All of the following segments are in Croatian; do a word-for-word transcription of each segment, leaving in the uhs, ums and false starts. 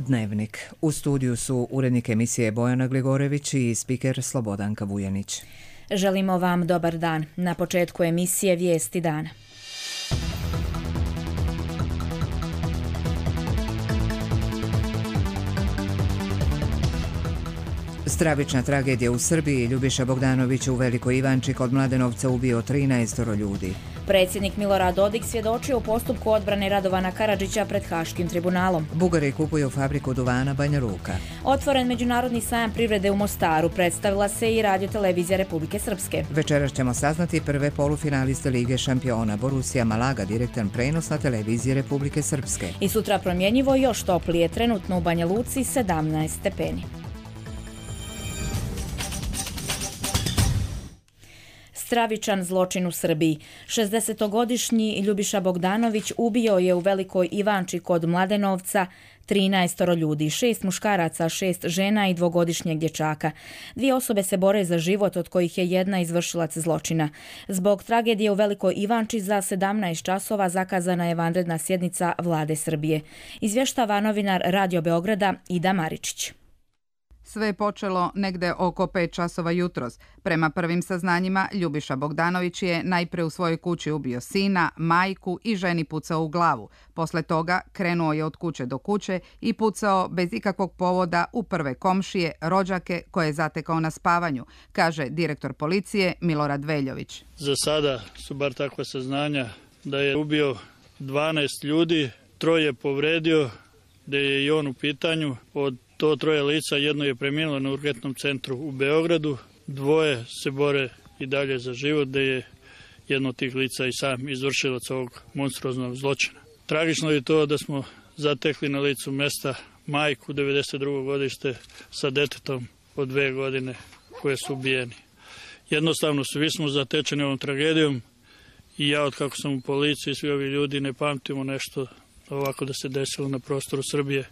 Dnevnik. U studiju su urednik emisije Bojana Gligorević i spiker Slobodanka Vujanić. Želimo vam dobar dan. Na početku emisije Vijesti dana. Stravična tragedija u Srbiji. Ljubiša Bogdanović u Velikoj Ivanči kod Mladenovca ubio trinaestoro ljudi. Predsjednik Milorad Dodik svjedočio u postupku odbrane Radovana Karadžića pred Haškim tribunalom. Bugari kupuju fabriku duvana Banja Luka. Otvoren međunarodni sajam privrede u Mostaru. Predstavila se i radiotelevizija Republike Srpske. Večeras ćemo saznati prve polufinaliste Lige šampiona. Borussia Malaga, direktan prenos na televiziji Republike Srpske. I sutra promjenjivo još toplije, trenutno u Banja Luci sedamnaest stepeni. Stravičan zločin u Srbiji. šezdesetogodišnji Ljubiša Bogdanović ubio je u Velikoj Ivanči kod Mladenovca trinaestoro ljudi, šest muškaraca, šest žena i dvogodišnjeg dječaka. Dvije osobe se bore za život, od kojih je jedna izvršilac zločina. Zbog tragedije u Velikoj Ivanči za sedamnaest časova zakazana je vanredna sjednica Vlade Srbije. Izvještava novinar Radio Beograda Ida Maričić. Sve je počelo negde oko pet časova jutros. Prema prvim saznanjima, Ljubiša Bogdanović je najpre u svojoj kući ubio sina, majku i ženi pucao u glavu. Posle toga krenuo je od kuće do kuće i pucao bez ikakvog povoda u prve komšije, rođake koje je zatekao na spavanju, kaže direktor policije Milorad Veljović. Za sada su bar takva saznanja da je ubio dvanaest ljudi, troje povredio, da je i on u pitanju. Od to troje lica, jedno je preminulo na urgentnom centru u Beogradu, dvoje se bore i dalje za život, da je jedno od tih lica i sam izvršilac ovog monstruoznog zločina. Tragično je to da smo zatekli na licu mesta majku devedeset drugo godište sa detetom od dve godine koje su ubijeni. Jednostavno svi smo zatečeni ovom tragedijom i ja od kako sam u policiji, svi ovi ljudi ne pamtimo nešto ovako da se desilo na prostoru Srbije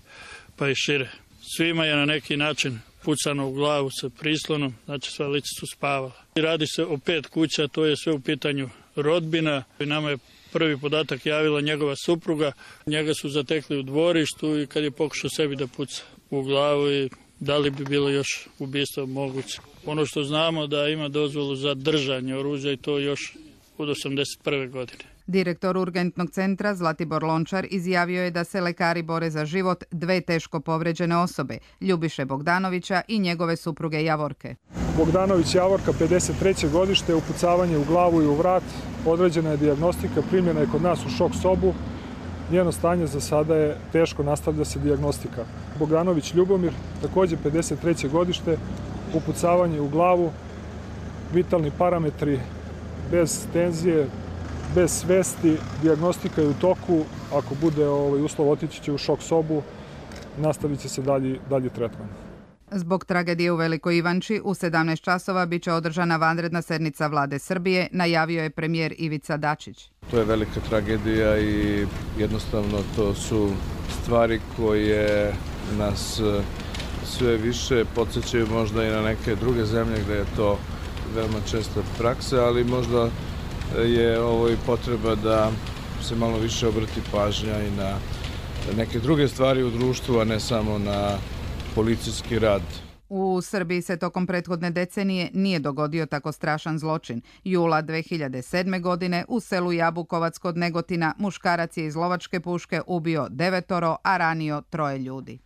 pa i šire. Svima je na neki način pucano u glavu sa prislonom, znači sva lica su spavala. Radi se o pet kuća, to je sve u pitanju rodbina. Nama je prvi podatak javila njegova supruga. Njega su zatekli u dvorištu i kad je pokušao sebi da puca u glavu i da li bi bilo još ubistvo moguće. Ono što znamo da ima dozvolu za držanje oružja i to još od osamdeset prve godine. Direktor urgentnog centra Zlatibor Lončar izjavio je da se lekari bore za život dve teško povređene osobe, Ljubiše Bogdanovića i njegove supruge Javorke. Bogdanović Javorka, pedeset treće godište, upucavanje u glavu i u vrat, određena je dijagnostika, primljena je kod nas u šok sobu. Njeno stanje za sada je teško, nastavlja se dijagnostika. Bogdanović Ljubomir, također pedeset treće godište, upucavanje u glavu, vitalni parametri bez tenzije, bez svesti, dijagnostika je u toku, ako bude ovaj uslov otići će u šok sobu, nastavit će se dalji, dalji tretman. Zbog tragedije u Velikoj Ivanči u sedamnaest časova bit će održana vanredna sednica Vlade Srbije, najavio je premijer Ivica Dačić. To je velika tragedija i jednostavno to su stvari koje nas sve više podsjećaju možda i na neke druge zemlje gdje je to veoma česta praksa, ali možda je ovo i potreba da se malo više obrati pažnja i na neke druge stvari u društvu, a ne samo na policijski rad. U Srbiji se tokom prethodne decenije nije dogodio tako strašan zločin. Jula dve hiljade sedme. godine u selu Jabukovac kod Negotina muškarac je iz lovačke puške ubio devetoro, a ranio troje ljudi.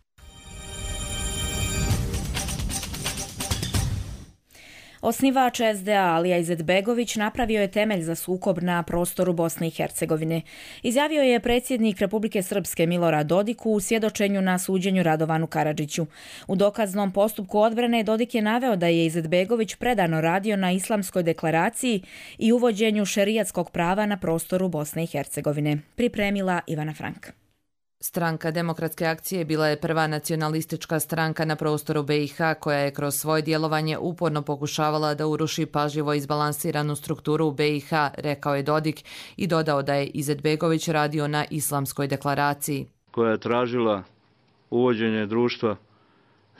Osnivač es de a Alija Izetbegović napravio je temelj za sukob na prostoru Bosne i Hercegovine. Izjavio je predsjednik Republike Srpske Milorad Dodik u svjedočenju na suđenju Radovanu Karadžiću. U dokaznom postupku odbrane Dodik je naveo da je Izetbegović predano radio na Islamskoj deklaraciji i uvođenju šerijatskog prava na prostoru Bosne i Hercegovine. Pripremila Ivana Frank. Stranka Demokratske akcije bila je prva nacionalistička stranka na prostoru be i ha koja je kroz svoje djelovanje uporno pokušavala da uruši pažljivo izbalansiranu strukturu u be i ha, rekao je Dodik i dodao da je Izetbegović radio na Islamskoj deklaraciji. Koja je tražila uvođenje društva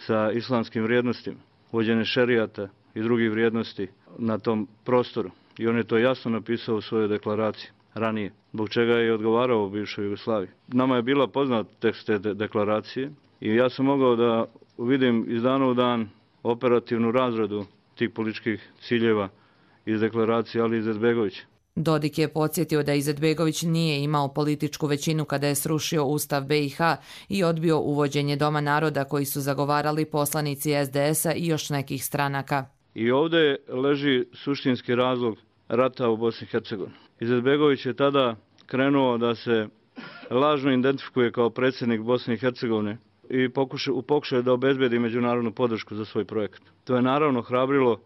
sa islamskim vrijednostima, uvođenje šerijata i drugih vrijednosti na tom prostoru. I on je to jasno napisao u svojoj deklaraciji ranije, zbog čega je odgovarao u bivšoj Jugoslaviji. Nama je bila poznat tekst te deklaracije I ja sam mogao da vidim iz dana u dan operativnu razradu tih političkih ciljeva iz deklaracije Ali Izetbegovića. Dodik je podsjetio da Izetbegović nije imao političku većinu kada je srušio Ustav B i H i odbio uvođenje Doma naroda koji su zagovarali poslanici S D S-a i još nekih stranaka. I ovdje leži suštinski razlog rata u Bosni i Hercegovini. Izetbegović je tada krenuo da se lažno identifikuje kao predsjednik Bosne i Hercegovine i u pokušaju da obezbedi međunarodnu podršku za svoj projekat. To je naravno hrabrilo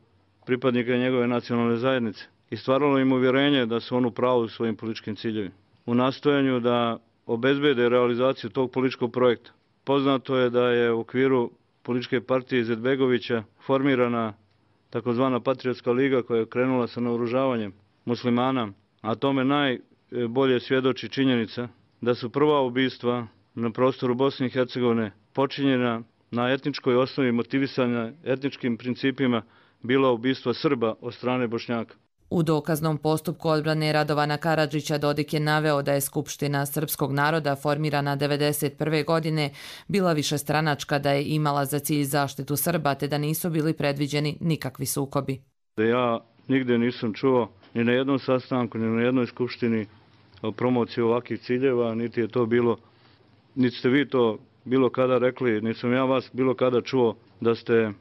pripadnika njegove nacionalne zajednice i stvaralo im uvjerenje da su on u pravu u svojim političkim ciljevima. U nastojanju da obezbede realizaciju tog političkog projekta. Poznato je da je u okviru političke partije Izetbegovića formirana takozvana Patriotska liga koja je krenula sa naoružavanjem muslimana, a tome najbolje svjedoči činjenica da su prva ubistva na prostoru Bosne i Hercegovine počinjena na etničkoj osnovi, motivisanja etničkim principima, bila ubistva Srba od strane Bošnjaka. U dokaznom postupku odbrane Radovana Karadžića Dodik je naveo da je Skupština srpskog naroda formirana devedeset prve godine bila višestranačka, da je imala za cilj zaštitu Srba te da nisu bili predviđeni nikakvi sukobi. Ja nigde nisam čuo ni na jednom sastanku, ni na jednoj skupštini o promociji ovakvih ciljeva, niti je to bilo, niti ste vi to bilo kada rekli, nisam ja vas bilo kada čuo da ste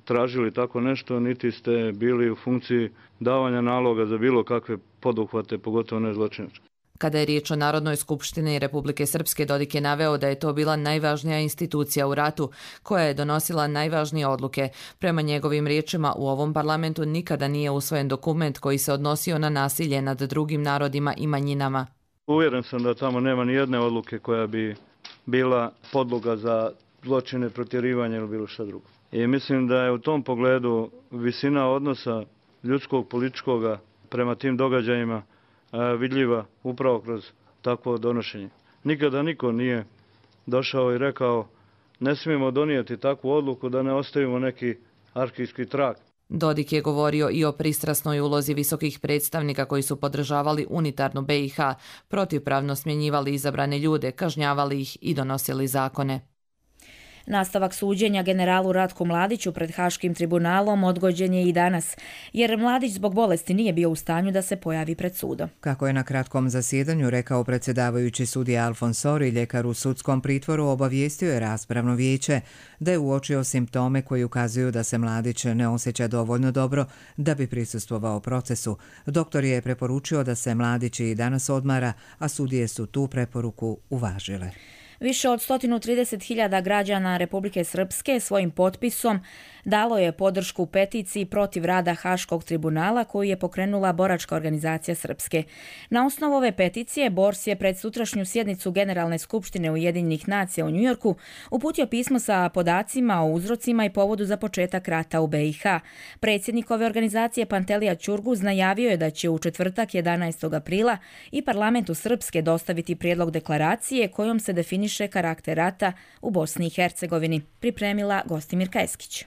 tražili tako nešto, niti ste bili u funkciji davanja naloga za bilo kakve poduhvate, pogotovo ne zločinačke. Kada je riječ o Narodnoj skupštini Republike Srpske, Dodik je naveo da je to bila najvažnija institucija u ratu, koja je donosila najvažnije odluke. Prema njegovim riječima, u ovom parlamentu nikada nije usvojen dokument koji se odnosio na nasilje nad drugim narodima i manjinama. Uvjeren sam da tamo nema ni jedne odluke koja bi bila podloga za zločine, protjerivanje ili bilo šta drugo. I mislim da je u tom pogledu visina odnosa ljudskog, političkoga prema tim događajima vidljiva upravo kroz takvo donošenje. Nikada niko nije došao i rekao ne smijemo donijeti takvu odluku da ne ostavimo neki arhivski trag. Dodik je govorio i o pristrasnoj ulozi visokih predstavnika koji su podržavali unitarnu B i H, protivpravno smjenjivali izabrane ljude, kažnjavali ih i donosili zakone. Nastavak suđenja generalu Ratku Mladiću pred Haškim tribunalom odgođen je i danas, jer Mladić zbog bolesti nije bio u stanju da se pojavi pred sudom. Kako je na kratkom zasjedanju rekao predsjedavajući sudija Alfons Sori, ljekar u sudskom pritvoru obavijestio je raspravno vijeće da je uočio simptome koji ukazuju da se Mladić ne osjeća dovoljno dobro da bi prisustvovao procesu. Doktor je preporučio da se Mladić i danas odmara, a sudije su tu preporuku uvažile. Više od sto trideset hiljada građana Republike Srpske svojim potpisom dalo je podršku peticiji protiv rada Haškog tribunala koju je pokrenula Boračka organizacija Srpske. Na osnovu ove peticije Bors je pred sutrašnju sjednicu Generalne skupštine Ujedinjenih nacija u Njujorku uputio pismo sa podacima o uzrocima i povodu za početak rata u B i H. Predsjednik ove organizacije Pantelija Ćurguz najavio je da će u četvrtak jedanaestog aprila i parlamentu Srpske dostaviti prijedlog deklaracije kojom se definiše karakter rata u Bosni i Hercegovini, pripremila Gostimirka Eskić.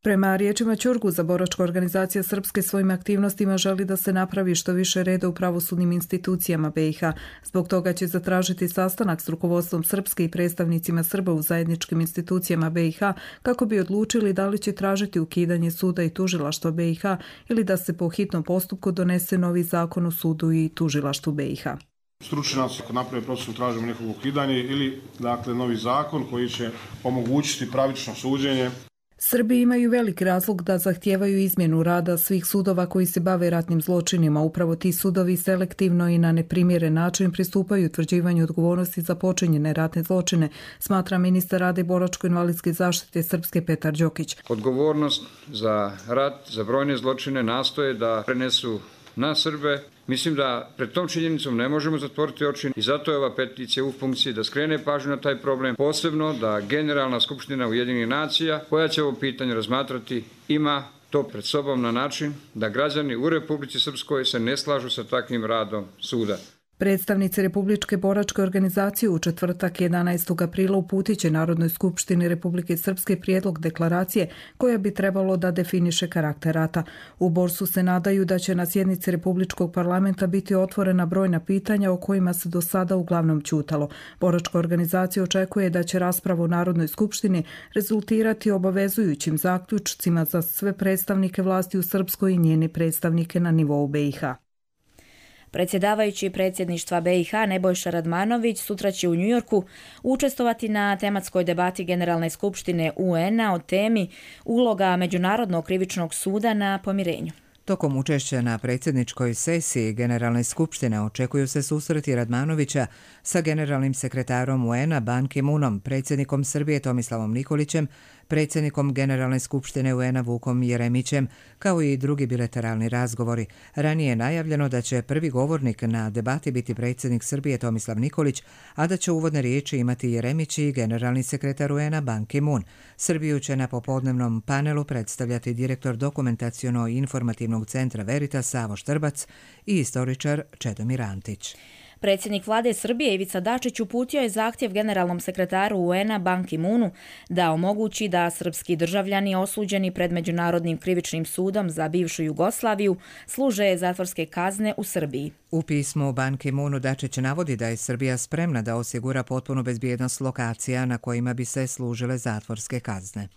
Prema riječima Ćurguza, Boračka organizacija Srpske svojim aktivnostima želi da se napravi što više reda u pravosudnim institucijama B i H. Zbog toga će zatražiti sastanak s rukovodstvom Srpske i predstavnicima Srba u zajedničkim institucijama B i H kako bi odlučili da li će tražiti ukidanje suda i tužilaštva B i H ili da se po hitnom postupku donese novi zakon o sudu i tužilaštvu B i H. Stručnjaci ako naprave proces tražimo njihovo ukidanje ili dakle novi zakon koji će omogućiti pravično suđenje. Srbi imaju velik razlog da zahtijevaju izmjenu rada svih sudova koji se bave ratnim zločinima. Upravo ti sudovi selektivno i na neprimjeren način pristupaju utvrđivanju odgovornosti za počinjene ratne zločine, smatra ministar rada i boračko-invalidske zaštite Srpske Petar Đokić. Odgovornost za rat, za brojne zločine nastoje da prenesu na Srbe. Mislim da pred tom činjenicom ne možemo zatvoriti oči i zato je ova peticija u funkciji da skrene pažnju na taj problem, posebno da Generalna skupština Ujedinjenih nacija, koja će ovo pitanje razmatrati, ima to pred sobom na način da građani u Republici Srpskoj se ne slažu sa takvim radom suda. Predstavnici Republičke boračke organizacije u četvrtak jedanaestog aprila uputit će Narodnoj skupštini Republike Srpske prijedlog deklaracije koja bi trebalo da definiše karakter rata. U Borsu se nadaju da će na sjednici Republičkog parlamenta biti otvorena brojna pitanja o kojima se do sada uglavnom ćutalo. Boračka organizacija očekuje da će rasprava u Narodnoj skupštini rezultirati obavezujućim zaključcima za sve predstavnike vlasti u Srpskoj i njeni predstavnike na nivou B i H. Predsjedavajući predsjedništva B i H Nebojša Radmanović sutra će u Njujorku učestvovati na tematskoj debati Generalne skupštine U N-a o temi uloga Međunarodnog krivičnog suda na pomirenju. Tokom učešća na predsjedničkoj sesiji Generalne skupštine očekuju se susreti Radmanovića sa generalnim sekretarom U N-a Ban Ki-moonom, predsjednikom Srbije Tomislavom Nikolićem, predsjednikom Generalne skupštine U N-a Vukom Jeremićem, kao i drugi bilateralni razgovori. Ranije je najavljeno da će prvi govornik na debati biti predsjednik Srbije Tomislav Nikolić, a da će uvodne riječi imati Jeremić i generalni sekretar U N-a Ban Ki-moon. Srbiju će na popodnevnom panelu predstavljati direktor dokumentaciono-informativnog centra Veritas Savo Štrbac i istoričar Čedomir Antić. Predsjednik vlade Srbije Ivica Dačić uputio je zahtjev generalnom sekretaru U N-a Ban Ki-moonu da omogući da srpski državljani osuđeni pred Međunarodnim krivičnim sudom za bivšu Jugoslaviju služe zatvorske kazne u Srbiji. U pismu Ban Ki-moonu Dačić navodi da je Srbija spremna da osigura potpunu bezbjednost lokacija na kojima bi se služile zatvorske kazne.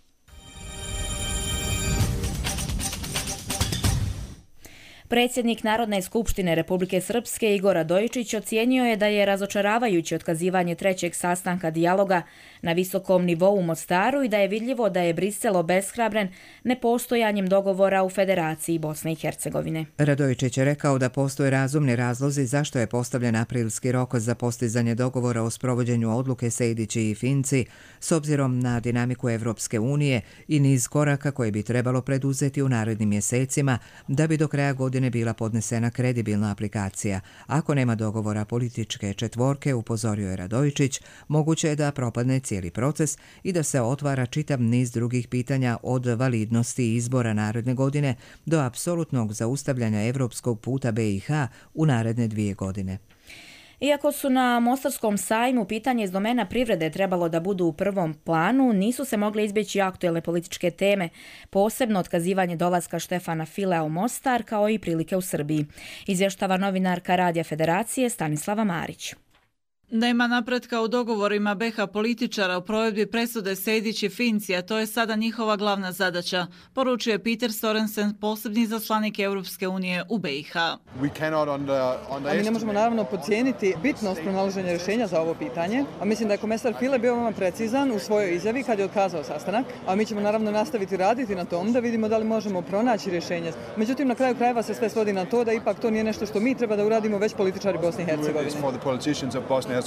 Predsjednik Narodne skupštine Republike Srpske Igor Radojičić ocijenio je da je razočaravajuće otkazivanje trećeg sastanka dijaloga na visokom nivou u Mostaru i da je vidljivo da je Brisel obeshrabren nepostojanjem dogovora u Federaciji Bosne i Hercegovine. Radojičić je rekao da postoje razumni razlozi zašto je postavljen aprilski rok za postizanje dogovora o sprovođenju odluke Sejdići i Finci s obzirom na dinamiku Evropske unije i niz koraka koje bi trebalo preduzeti u narednim mjesecima da bi do kraja godine bila podnesena kredibilna aplikacija. Ako nema dogovora političke četvorke, upozorio je Radojičić, moguće je da propadne cijeli proces i da se otvara čitav niz drugih pitanja od validnosti izbora naredne godine do apsolutnog zaustavljanja evropskog puta B i H u naredne dvije godine. Iako su na Mostarskom sajmu pitanje iz domena privrede trebalo da budu u prvom planu, nisu se mogle izbjeći aktuelne političke teme, posebno otkazivanje dolaska Štefana Filea u Mostar, kao i prilike u Srbiji. Izvještava novinarka Radija Federacije Stanislava Marić. Nema napretka u dogovorima B H političara u provedbi presude Sejdić i Finci, a to je sada njihova glavna zadaća, poručuje Peter Sorensen, posebni izaslanik Europske unije u B i H. A mi ne možemo naravno podcijeniti bitnost pronalaženja rješenja za ovo pitanje, a mislim da je komesar File bio veoma precizan u svojoj izjavi kad je otkazao sastanak, a mi ćemo naravno nastaviti raditi na tom da vidimo da li možemo pronaći rješenje. Međutim, na kraju krajeva se sve svodi na to da ipak to nije nešto što mi treba da uradimo, već političari Bosne i Hercegovine.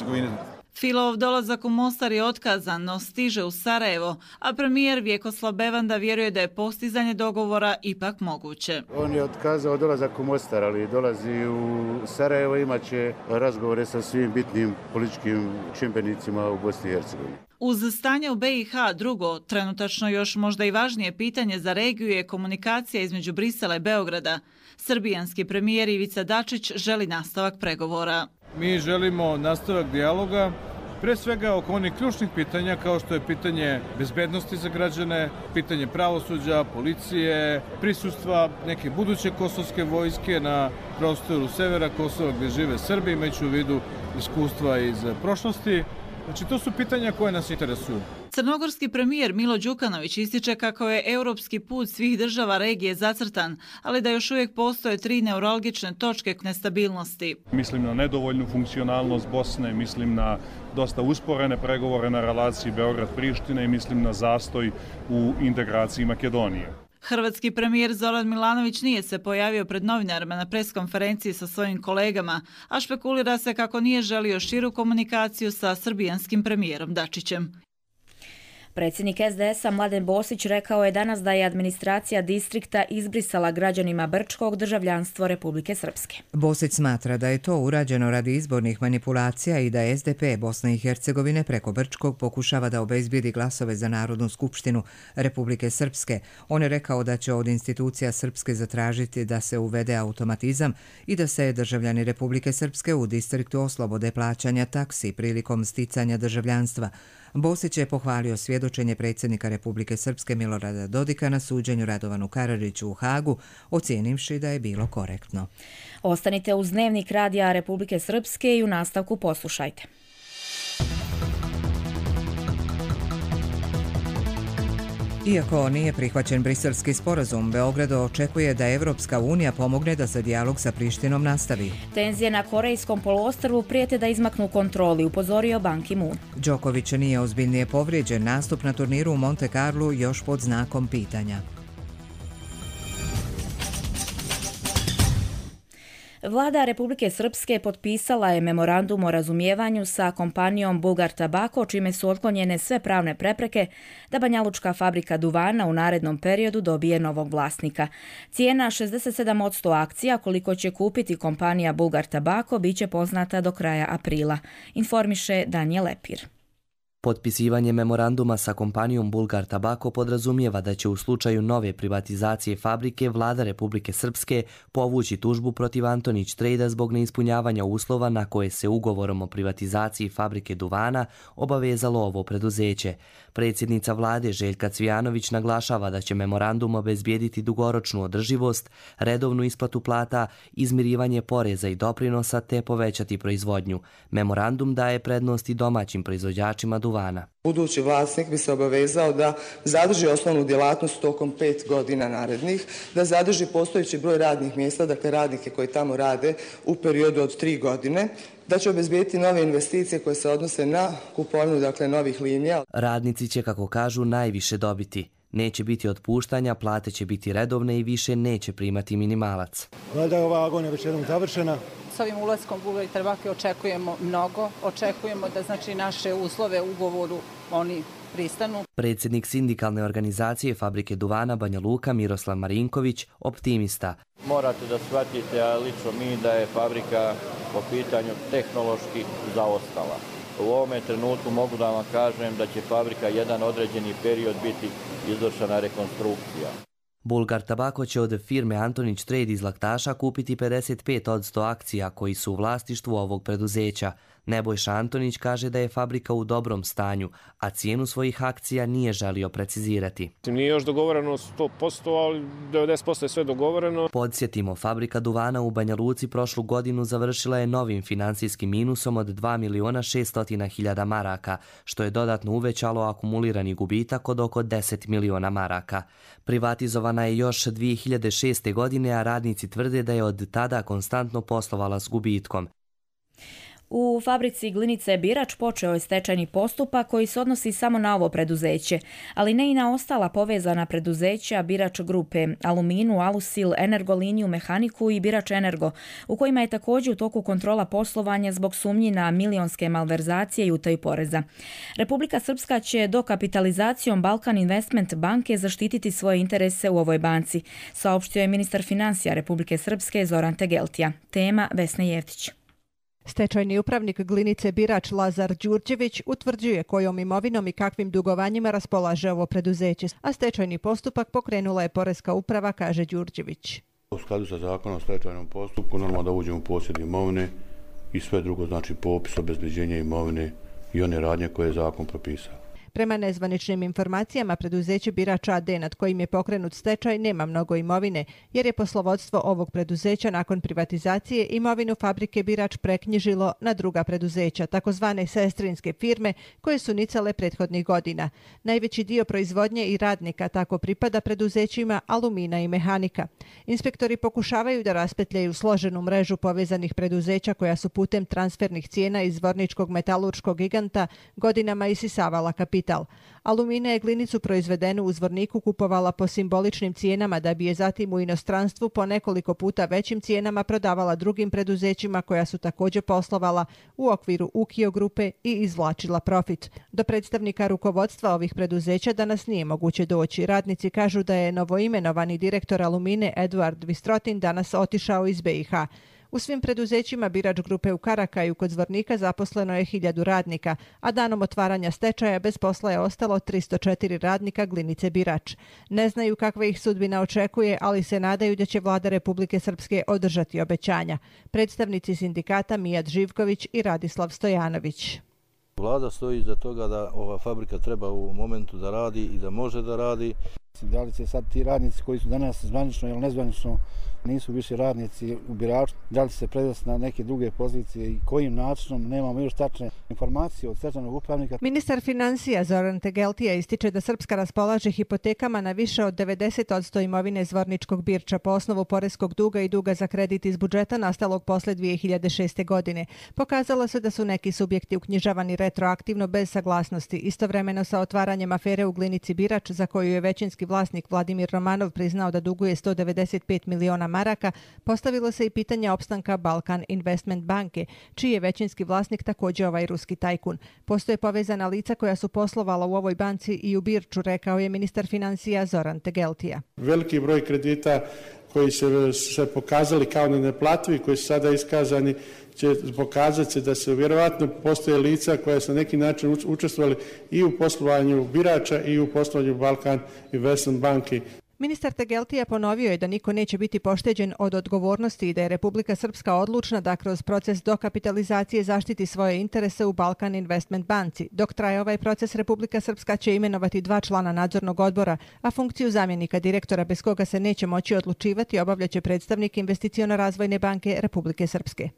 Filov dolazak u Mostar je otkazan, no stiže u Sarajevo, a premijer Vjekoslav Bevanda vjeruje da je postizanje dogovora ipak moguće. On je otkazao dolazak u Mostar, ali dolazi u Sarajevo, imat će razgovore sa svim bitnim političkim čimbenicima u Bosni i Hercegovini. Uz stanje u B i H drugo, trenutačno još možda i važnije pitanje za regiju je komunikacija između Brisela i Beograda. Srbijanski premijer Ivica Dačić želi nastavak pregovora. Mi želimo nastavak dijaloga, pre svega oko onih ključnih pitanja kao što je pitanje bezbednosti za građane, pitanje pravosuđa, policije, prisustva neke buduće kosovske vojske na prostoru severa Kosova gdje žive Srbi, imajući u vidu iskustva iz prošlosti. Znači, to su pitanja koje nas interesuju. Crnogorski premijer Milo Đukanović ističe kako je europski put svih država regije zacrtan, ali da još uvijek postoje tri neuralgične točke nestabilnosti. Mislim na nedovoljnu funkcionalnost Bosne, mislim na dosta usporene pregovore na relaciji Beograd-Priština i mislim na zastoj u integraciji Makedonije. Hrvatski premijer Zoran Milanović nije se pojavio pred novinarima na preskonferenciji sa svojim kolegama, a špekulira se kako nije želio širu komunikaciju sa srbijanskim premijerom Dačićem. Predsjednik es de es a Mladen Bosić rekao je danas da je administracija distrikta izbrisala građanima Brčkog državljanstvo Republike Srpske. Bosić smatra da je to urađeno radi izbornih manipulacija i da es de pe Bosne i Hercegovine preko Brčkog pokušava da obezbijedi glasove za Narodnu skupštinu Republike Srpske. On je rekao da će od institucija Srpske zatražiti da se uvede automatizam i da se državljani Republike Srpske u distriktu oslobode plaćanja taksi prilikom sticanja državljanstva. Bosić je pohvalio svjedočenje predsjednika Republike Srpske Milorada Dodika na suđenju Radovanu Karadžiću u Hagu, ocijenivši da je bilo korektno. Ostanite uz Dnevnik radija Republike Srpske i u nastavku poslušajte. Iako nije prihvaćen briselski sporazum, Beograd očekuje da Evropska unija pomogne da se dijalog sa Prištinom nastavi. Tenzije na Korejskom poluostrvu prijete da izmaknu kontroli, upozorio Ban Ki-moon. Đoković nije ozbiljnije povrijeđen, nastup na turniru u Monte Carlu još pod znakom pitanja. Vlada Republike Srpske potpisala je memorandum o razumijevanju sa kompanijom Bulgar Tabako, čime su otklonjene sve pravne prepreke da banjalučka fabrika duvana u narednom periodu dobije novog vlasnika. Cijena šezdeset sedam posto akcija koliko će kupiti kompanija Bulgar Tabako biće poznata do kraja aprila, informiše Danijel Lepir. Potpisivanje memoranduma sa kompanijom Bulgar Tabako podrazumijeva da će u slučaju nove privatizacije fabrike vlada Republike Srpske povući tužbu protiv Antonić Trejda zbog neispunjavanja uslova na koje se ugovorom o privatizaciji fabrike duvana obavezalo ovo preduzeće. Predsjednica vlade Željka Cvijanović naglašava da će memorandum obezbijediti dugoročnu održivost, redovnu isplatu plata, izmirivanje poreza i doprinosa te povećati proizvodnju. Memorandum daje prednosti domaćim proizvođačima duvana. Budući vlasnik bi se obavezao da zadrži osnovnu djelatnost tokom pet godina narednih, da zadrži postojeći broj radnih mjesta, dakle radnike koji tamo rade u periodu od tri godine, da će obezbijeti nove investicije koje se odnose na kupovinu, dakle, novih linija. Radnici će, kako kažu, najviše dobiti. Neće biti otpuštanja, plate će biti redovne i više neće primati minimalac. Valjda je ova agonija već jednom završena. S ovim ulaskom Bulgar Tabake očekujemo mnogo. Očekujemo da znači naše uslove u ugovoru oni pristanu. Predsjednik sindikalne organizacije fabrike duvana Banja Luka Miroslav Marinković optimista. Morate da shvatite, a lično mi, da je fabrika po pitanju tehnološki zaostala. U ovome trenutku mogu da vam kažem da će fabrika jedan određeni period biti izvršena rekonstrukcija. Bulgar Tabako će od firme Antonić Trade iz Laktaša kupiti pedeset pet posto akcija koji su u vlasništvu ovog preduzeća. Nebojša Antonić kaže da je fabrika u dobrom stanju, a cijenu svojih akcija nije želio precizirati. Nije još dogovoreno sto posto, ali devedeset posto je sve dogovoreno. Podsjetimo, fabrika duvana u Banja Luci prošlu godinu završila je novim finansijskim minusom od dva miliona šesto hiljada maraka, što je dodatno uvećalo akumulirani gubitak od oko deset miliona maraka. Privatizovana je još dvije hiljade šeste. godine, a radnici tvrde da je od tada konstantno poslovala s gubitkom. U fabrici Glinice Birač počeo je stečajni postupak koji se odnosi samo na ovo preduzeće, ali ne i na ostala povezana preduzeća Birač grupe, Aluminu, Alusil, Energoliniju, Mehaniku i Birač Energo, u kojima je također u toku kontrola poslovanja zbog sumnji na milionske malverzacije i utaju poreza. Republika Srpska će dokapitalizacijom Balkan Investment banke zaštititi svoje interese u ovoj banci, saopštio je ministar financija Republike Srpske Zoran Tegeltija. Tema Vesna Jeftić. Stečajni upravnik Glinice Birač Lazar Đurđević utvrđuje kojom imovinom i kakvim dugovanjima raspolaže ovo preduzeće, a stečajni postupak pokrenula je Poreska uprava, kaže Đurđević. U skladu sa zakonom o stečajnom postupku normalno da uđemo u posjed imovine i sve drugo, znači popis, obezbeđenje imovine i one radnje koje je zakon propisao. Prema nezvaničnim informacijama, preduzeće Birač a de nad kojim je pokrenut stečaj nema mnogo imovine, jer je poslovodstvo ovog preduzeća nakon privatizacije imovinu fabrike Birač preknjižilo na druga preduzeća, takozvane sestrinske firme koje su nicale prethodnih godina. Najveći dio proizvodnje i radnika tako pripada preduzećima Alumina i Mehanika. Inspektori pokušavaju da raspetljaju složenu mrežu povezanih preduzeća koja su putem transfernih cijena iz zvorničkog metalurškog giganta godinama isisavala kapital. kapital. Alumina je glinicu proizvedenu u Zvorniku kupovala po simboličnim cijenama da bi je zatim u inostranstvu po nekoliko puta većim cijenama prodavala drugim preduzećima koja su također poslovala u okviru Ukio grupe i izvlačila profit. Do predstavnika rukovodstva ovih preduzeća danas nije moguće doći. Radnici kažu da je novoimenovani direktor Alumine Eduard Vistrotin danas otišao iz B i H. U svim preduzećima Birač grupe u Karakaju kod Zvornika zaposleno je hiljadu radnika, a danom otvaranja stečaja bez posla je ostalo tristo četiri radnika glinice Birač. Ne znaju kakva ih sudbina očekuje, ali se nadaju da će vlada Republike Srpske održati obećanja. Predstavnici sindikata Mijat Živković i Radislav Stojanović. Vlada stoji iza toga da ova fabrika treba u momentu da radi i da može da radi. Da li će sad ti radnici koji su danas zvanično ili nezvanično nisu više radnici u Biraču, da li će se prevesti na neke druge pozicije i kojim načinom, nemamo još tačne informacije od stečajnog upravnika. Ministar financija Zoran Tegeltija ističe da Srpska raspolaže hipotekama na više od devedeset posto imovine Zvorničkog Birča po osnovu poreskog duga i duga za kredit iz budžeta nastalog posle dvije hiljade šeste. godine. Pokazalo se da su neki subjekti uknjižavani retroaktivno bez saglasnosti, istovremeno sa otvaranjem afere u glinici Birač, za koju je većinski vlasnik Vladimir Romanov priznao da duguje sto devedeset pet miliona maraka, postavilo se i pitanje opstanka Balkan Investment banke, čiji je većinski vlasnik također ovaj ruski tajkun. Postoje povezana lica koja su poslovala u ovoj banci i u Birču, rekao je ministar financija Zoran Tegeltija. Veliki broj kredita koji su se pokazali kao nenaplativi, koji su sada iskazani, će pokazati se da se vjerovatno postoje lica koja su na neki način učestvovali i u poslovanju Birača i u poslovanju Balkan Investment banke. Ministar Tegeltija ponovio je da niko neće biti pošteđen od odgovornosti i da je Republika Srpska odlučna da kroz proces dokapitalizacije zaštiti svoje interese u Balkan Investment banci. Dok traje ovaj proces, Republika Srpska će imenovati dva člana nadzornog odbora, a funkciju zamjenika direktora bez koga se neće moći odlučivati obavljaće predstavnik Investiciono-razvojne banke Republike Srpske.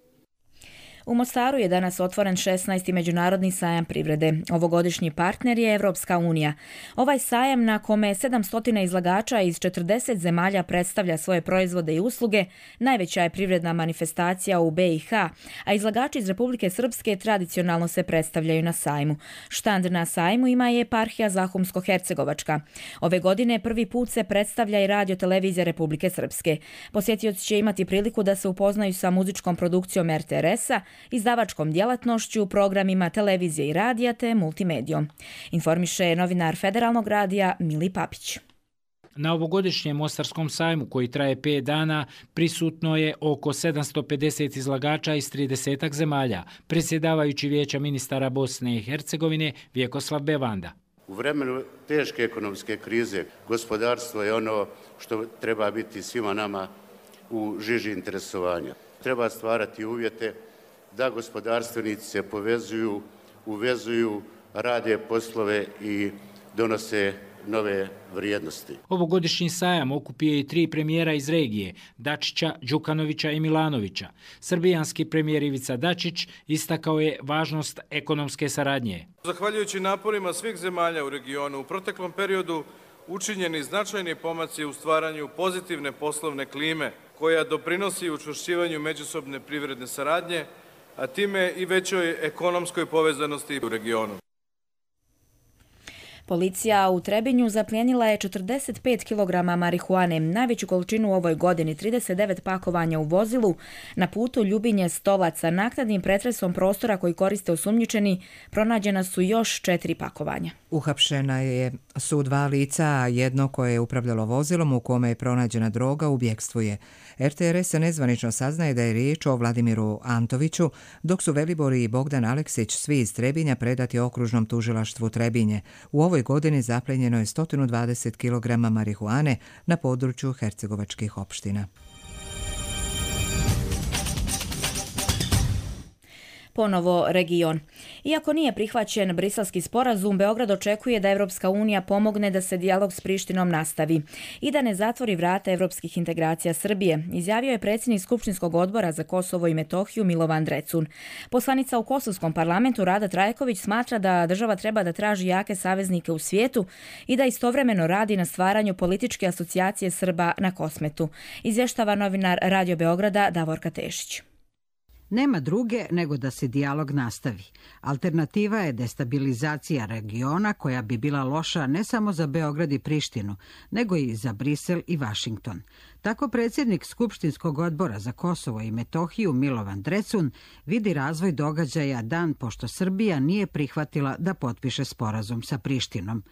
U Mostaru je danas otvoren šesnaesti međunarodni sajam privrede. Ovogodišnji partner je Evropska unija. Ovaj sajam, na kome sedamsto izlagača iz četrdeset zemalja predstavlja svoje proizvode i usluge, najveća je privredna manifestacija u B i H, a izlagači iz Republike Srpske tradicionalno se predstavljaju na sajmu. Štand na sajmu ima je eparhija Zahumsko-Hercegovačka. Ove godine prvi put se predstavlja i radio televizija Republike Srpske. Posjetioci će imati priliku da se upoznaju sa muzičkom produkcijom R T R S-a, izdavačkom djelatnošću, programima televizije i radija te multimedijom. Informiše novinar Federalnog radija Mili Papić. Na ovogodišnjem Mostarskom sajmu, koji traje pet dana, prisutno je oko sedamsto pedeset izlagača iz trideset zemalja, predsjedavajući Vijeća ministara Bosne i Hercegovine Vjekoslav Bevanda. U vremenu teške ekonomske krize gospodarstvo je ono što treba biti svima nama u žiži interesovanja. Treba stvarati uvjete da gospodarstvenici se povezuju, uvezuju, rade poslove i donose nove vrijednosti. Ovogodišnji sajam okupio i tri premijera iz regije, Dačića, Đukanovića i Milanovića. Srbijanski premijer Ivica Dačić istakao je važnost ekonomske saradnje. Zahvaljujući naporima svih zemalja u regionu, u proteklom periodu učinjeni značajni pomaci u stvaranju pozitivne poslovne klime, koja doprinosi učvršćivanju međusobne privredne saradnje, a time i većoj ekonomskoj povezanosti u regionu. Policija u Trebinju zaplijenila je četrdeset pet kilograma marihuane, najveću količinu u ovoj godini, trideset devet pakovanja u vozilu. Na putu Ljubinje Stolaca, naknadnim pretresom prostora koji koriste osumnjičeni, pronađena su još četiri pakovanja. Uhapšena je su dva lica, a jedno koje je upravljalo vozilom u kome je pronađena droga u bjekstvu je. R T R S nezvanično saznaje da je riječ o Vladimiru Antoviću, dok su Velibor i Bogdan Aleksić, svi iz Trebinja, predati okružnom tužilaštvu Trebinje. U ovoj godini zaplenjeno je sto dvadeset kilograma marihuane na području hercegovačkih opština. Ponovo region. Iako nije prihvaćen briselski sporazum, Beograd očekuje da Evropska unija pomogne da se dijalog s Prištinom nastavi i da ne zatvori vrata evropskih integracija Srbije, izjavio je predsjednik Skupštinskog odbora za Kosovo i Metohiju Milovan Drecun. Poslanica u Kosovskom parlamentu Rada Trajković smatra da država treba da traži jake saveznike u svijetu i da istovremeno radi na stvaranju političke asocijacije Srba na Kosmetu, izvještava novinar Radio Beograda Davorka Tešić. Nema druge nego da se dijalog nastavi. Alternativa je destabilizacija regiona koja bi bila loša ne samo za Beograd i Prištinu, nego i za Brisel i Vašington. Tako predsjednik Skupštinskog odbora za Kosovo i Metohiju Milovan Drecun vidi razvoj događaja dan pošto Srbija nije prihvatila da potpiše sporazum sa Prištinom.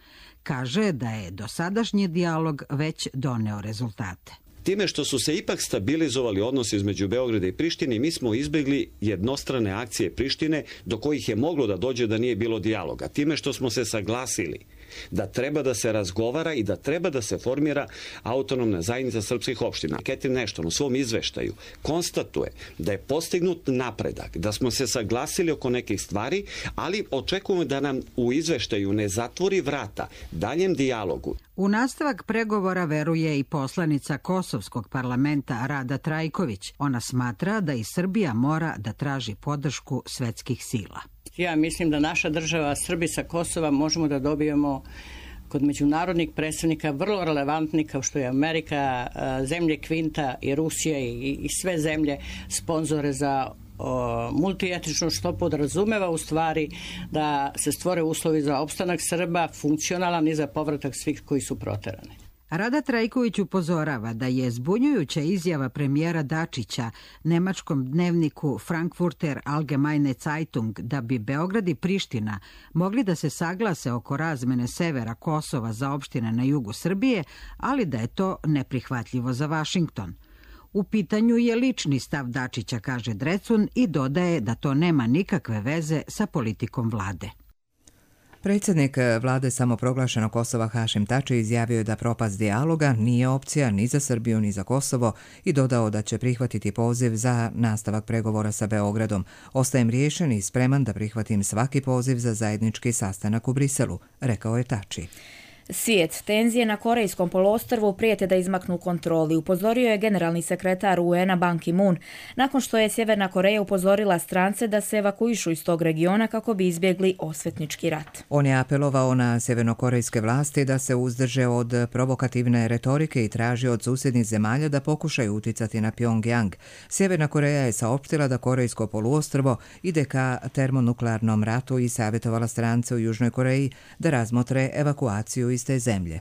Kaže da je dosadašnji dijalog već doneo rezultate. Time što su se ipak stabilizovali odnosi između Beograda i Prištine, mi smo izbjegli jednostrane akcije Prištine do kojih je moglo da dođe da nije bilo dijaloga. Time što smo se saglasili da treba da se razgovara i da treba da se formira autonomna zajednica srpskih opština. Catherine Ashton u svom izveštaju konstatuje da je postignut napredak, da smo se saglasili oko nekih stvari, ali očekujemo da nam u izveštaju ne zatvori vrata daljem dijalogu. U nastavak pregovora veruje i poslanica Kosovskog parlamenta Rada Trajković. Ona smatra da i Srbija mora da traži podršku svetskih sila. Ja mislim da naša država, Srbi sa Kosova, možemo da dobijemo kod međunarodnih predstavnika vrlo relevantni kao što je Amerika, zemlje Kvinta i Rusija i, i sve zemlje sponzore za multietično, što podrazumeva u stvari da se stvore uslovi za opstanak Srba, funkcionalan i za povratak svih koji su proterani. Rada Trajković upozorava da je zbunjujuća izjava premijera Dačića nemačkom dnevniku Frankfurter Allgemeine Zeitung da bi Beograd i Priština mogli da se saglase oko razmene severa Kosova za opštine na jugu Srbije, ali da je to neprihvatljivo za Vašington. U pitanju je lični stav Dačića, kaže Drecun, i dodaje da to nema nikakve veze sa politikom vlade. Predsjednik vlade samoproglašenog Kosova Hašim Tači izjavio je da propast dijaloga nije opcija ni za Srbiju ni za Kosovo i dodao da će prihvatiti poziv za nastavak pregovora sa Beogradom. Ostajem riješen i spreman da prihvatim svaki poziv za zajednički sastanak u Briselu, rekao je Tači. Svijet, tenzije na Korejskom poluostrvu prijete da izmaknu kontroli, upozorio je generalni sekretar U N-a Ban Ki-moon, nakon što je Sjeverna Koreja upozorila strance da se evakuišu iz tog regiona kako bi izbjegli osvetnički rat. On je apelovao na sjevernokorejske vlasti da se uzdrže od provokativne retorike i traži od susjednih zemalja da pokušaju uticati na Pyongyang. Sjeverna Koreja je saopštila da Korejsko poluostrvo ide ka termonuklearnom ratu i savjetovala strance u Južnoj Koreji da razmotre evakuaciju iz te zemlje.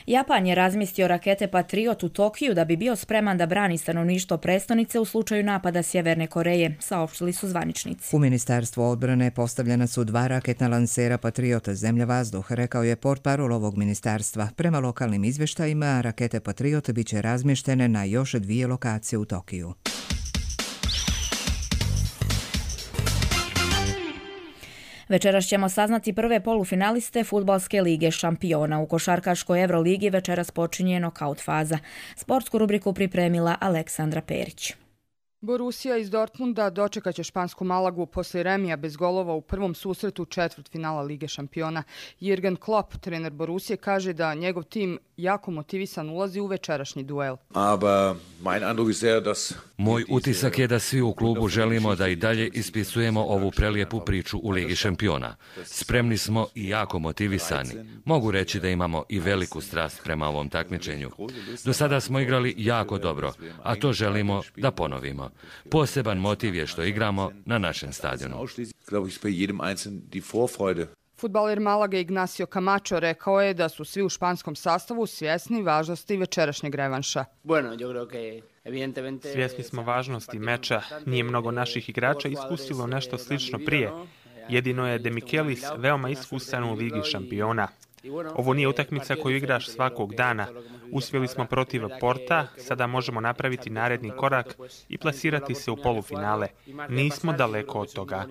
Japan je razmistio rakete Patriot u Tokiju da bi bio spreman da brani stanovništvo prestonice u slučaju napada Sjeverne Koreje, saopštili su zvaničnici. U Ministarstvu odbrane postavljena su dva raketna lansera Patriota zemlja-vazduh, rekao je portparol ovog ministarstva. Prema lokalnim izvještajima, rakete Patriot bit će razmještene na još dvije lokacije u Tokiju. Večeras ćemo saznati prve polufinaliste Fudbalske lige šampiona. U košarkaškoj Euroligi večeras počinje nokaut faza. Sportsku rubriku pripremila Aleksandra Perić. Borussia iz Dortmunda dočekaće špansku Malagu poslije remija bez golova u prvom susretu četvrtfinala Lige šampiona. Jürgen Klopp, trener Borussije, kaže da njegov tim jako motivisan ulazi u večerašnji duel. Moj utisak je da svi u klubu želimo da i dalje ispisujemo ovu prelijepu priču u Ligi šampiona. Spremni smo i jako motivisani. Mogu reći da imamo i veliku strast prema ovom takmičenju. Do sada smo igrali jako dobro, a to želimo da ponovimo. Poseban motiv je što igramo na našem stadionu. Fudbaler Malage Ignacio Camacho rekao je da su svi u španskom sastavu svjesni važnosti večerašnjeg revanša. Svjesni smo važnosti meča. Nije mnogo naših igrača iskusilo nešto slično prije. Jedino je De Michelis veoma iskusan u Ligi šampiona. Ovo nije utakmica koju igraš svakog dana. Uspjeli smo protiv Porta, sada možemo napraviti naredni korak i plasirati se u polufinale. Nismo daleko od toga.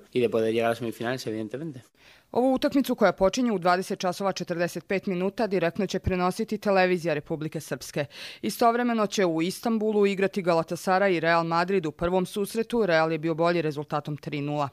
Ovu utakmicu koja počinje u dvadeset časova četrdeset pet minuta direktno će prenositi televizija Republike Srpske. Istovremeno će u Istanbulu igrati Galatasaray i Real Madrid u prvom susretu. Real je bio bolji rezultatom tri nula.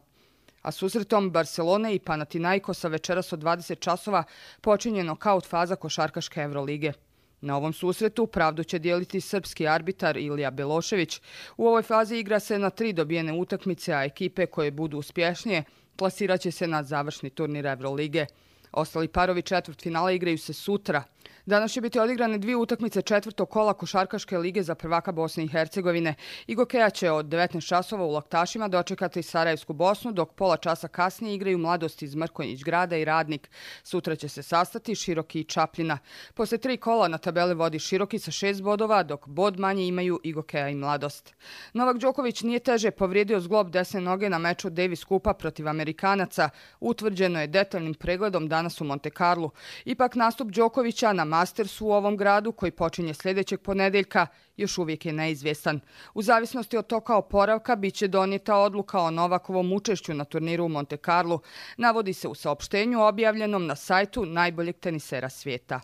A susretom Barcelone i Panathinaikosa večeras od dvadeset časova počinje nokaut faza košarkaške Evrolige. Na ovom susretu pravdu će dijeliti srpski arbitar Ilija Belošević. U ovoj fazi igra se na tri dobijene utakmice, a ekipe koje budu uspješnije plasirat će se na završni turnir Evrolige. Ostali parovi četvrtfinala igraju se sutra. Danas će biti odigrane dvije utakmice četvrtog kola košarkaške lige za prvaka Bosne i Hercegovine. Igokeja će od devetnaest časova u Laktašima dočekati Sarajevsku Bosnu, dok pola časa kasnije igraju Mladost iz Mrkonjić Grada i Radnik. Sutra će se sastati Široki i Čapljina. Posle tri kola na tabeli vodi Široki sa šest bodova, dok bod manje imaju Igokeja i Mladost. Novak Đoković nije teže povrijedio zglob desne noge na meču Davis Kupa protiv Amerikanaca. Utvrđeno je detaljnim pregledom danas u Monte Carlu. Ipak nastup Đokovića na Mastersu u ovom gradu, koji počinje sljedećeg ponedeljka, još uvijek je neizvjestan. U zavisnosti od toka oporavka bit će donijeta odluka o Novakovom učešću na turniru u Monte Carlu, navodi se u saopštenju objavljenom na sajtu najboljeg tenisera svijeta.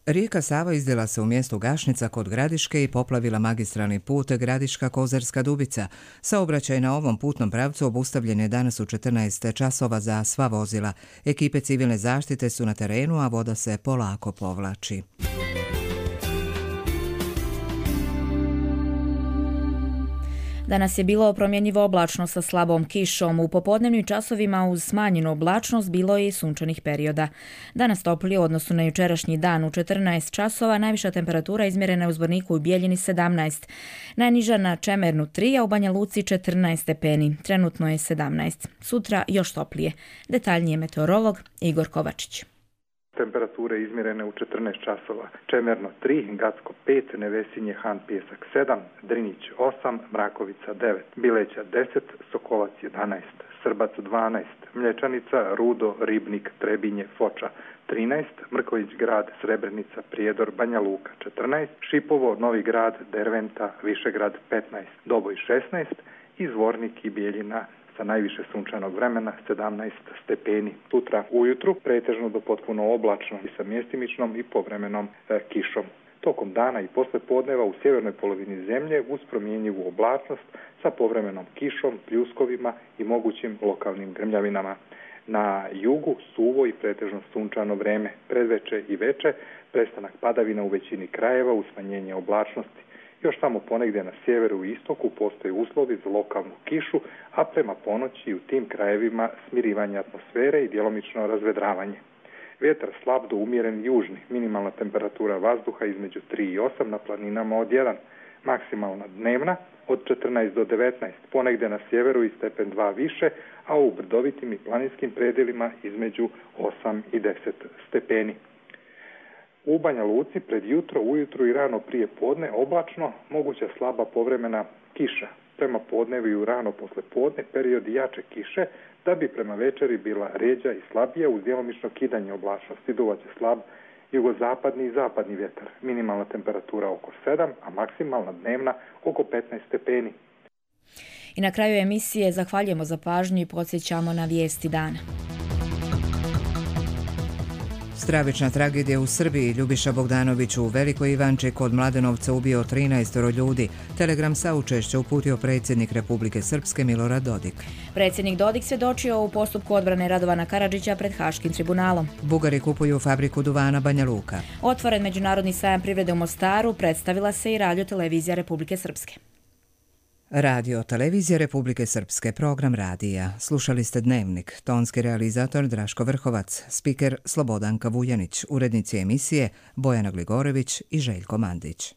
Rijeka Sava izdjela se u mjestu Gašnica kod Gradiške i poplavila magistralni put Gradiška-Kozarska Dubica. Saobraćaj na ovom putnom pravcu obustavljen je danas u četrnaest časova za sva vozila. Ekipe civilne zaštite su na terenu, a voda se polako povlači. Danas je bilo promjenjivo oblačno sa slabom kišom. U popodnevnim časovima uz smanjenu oblačnost bilo je i sunčanih perioda. Danas toplije u odnosu na jučerašnji dan u četrnaest časova, najviša temperatura izmjerena je u Zvorniku i Bijeljini sedamnaest. Najniža na Čemernu tri, a u Banja Luci četrnaest stepeni. Trenutno je sedamnaest. Sutra još toplije. Detaljnije meteorolog Igor Kovačić. Temperature izmjerene u četrnaest časova. Čemerno tri, Gacko pet, Nevesinje, Han Pjesak sedam, Drinić osam, Mrakovica devet, Bileća deset, Sokolac jedanaest, Srbac dvanaest, Mlječanica, Rudo, Ribnik, Trebinje, Foča trinaest, Mrković Grad, Srebrenica, Prijedor, Banja Luka četrnaest, Šipovo, Novi Grad, Derventa, Višegrad petnaest, Doboj šesnaest i Zvornik i Bijeljina sa najviše sunčanog vremena sedamnaest stepeni. Sutra ujutru pretežno do potpuno oblačno i sa mjestimičnom i povremenom e, kišom. Tokom dana i posle podneva u sjevernoj polovini zemlje uz promjenjivu oblačnost sa povremenom kišom, pljuskovima i mogućim lokalnim grmljavinama. Na jugu suvo i pretežno sunčano vreme, predveče i veče, prestanak padavina u većini krajeva uz smanjenje oblačnosti. Još samo ponegdje na sjeveru i istoku postoje uslovi za lokalnu kišu, a prema ponoći u tim krajevima smirivanje atmosfere i djelomično razvedravanje. Vjetar slab do umjeren južni, minimalna temperatura vazduha između tri i osam, na planinama od jedan, maksimalna dnevna od četrnaest do devetnaest, ponegdje na sjeveru i stepen dva više, a u brdovitim i planinskim predjelima između osam i deset stepeni. U Banja Luci pred jutro, ujutru i rano prije podne oblačno, moguća slaba povremena kiša. Prema podnevi i rano posle podne period jače kiše, da bi prema večeri bila rjeđa i slabija uz djelomično kidanje oblačnosti. Duvaće slab jugozapadni i zapadni vjetar. Minimalna temperatura oko sedam, a maksimalna dnevna oko petnaest stepeni. I na kraju emisije zahvaljujemo za pažnju i podsjećamo na vijesti dana. Stravična tragedija u Srbiji. Ljubiša Bogdanović u Velikoj Ivanči kod Mladenovca ubio trinaest ljudi. Telegram saučešća uputio predsjednik Republike Srpske Milorad Dodik. Predsjednik Dodik svjedočio u postupku odbrane Radovana Karadžića pred Haškim tribunalom. Bugari kupuju fabriku duvana Banja Luka. Otvoren međunarodni sajam privrede u Mostaru, predstavila se i Radio televizija Republike Srpske. Radio televizija Republike Srpske, program radija. Slušali ste Dnevnik, tonski realizator Draško Vrhovac, spiker Slobodanka Vujanić, urednici emisije Bojana Gligorević i Željko Mandić.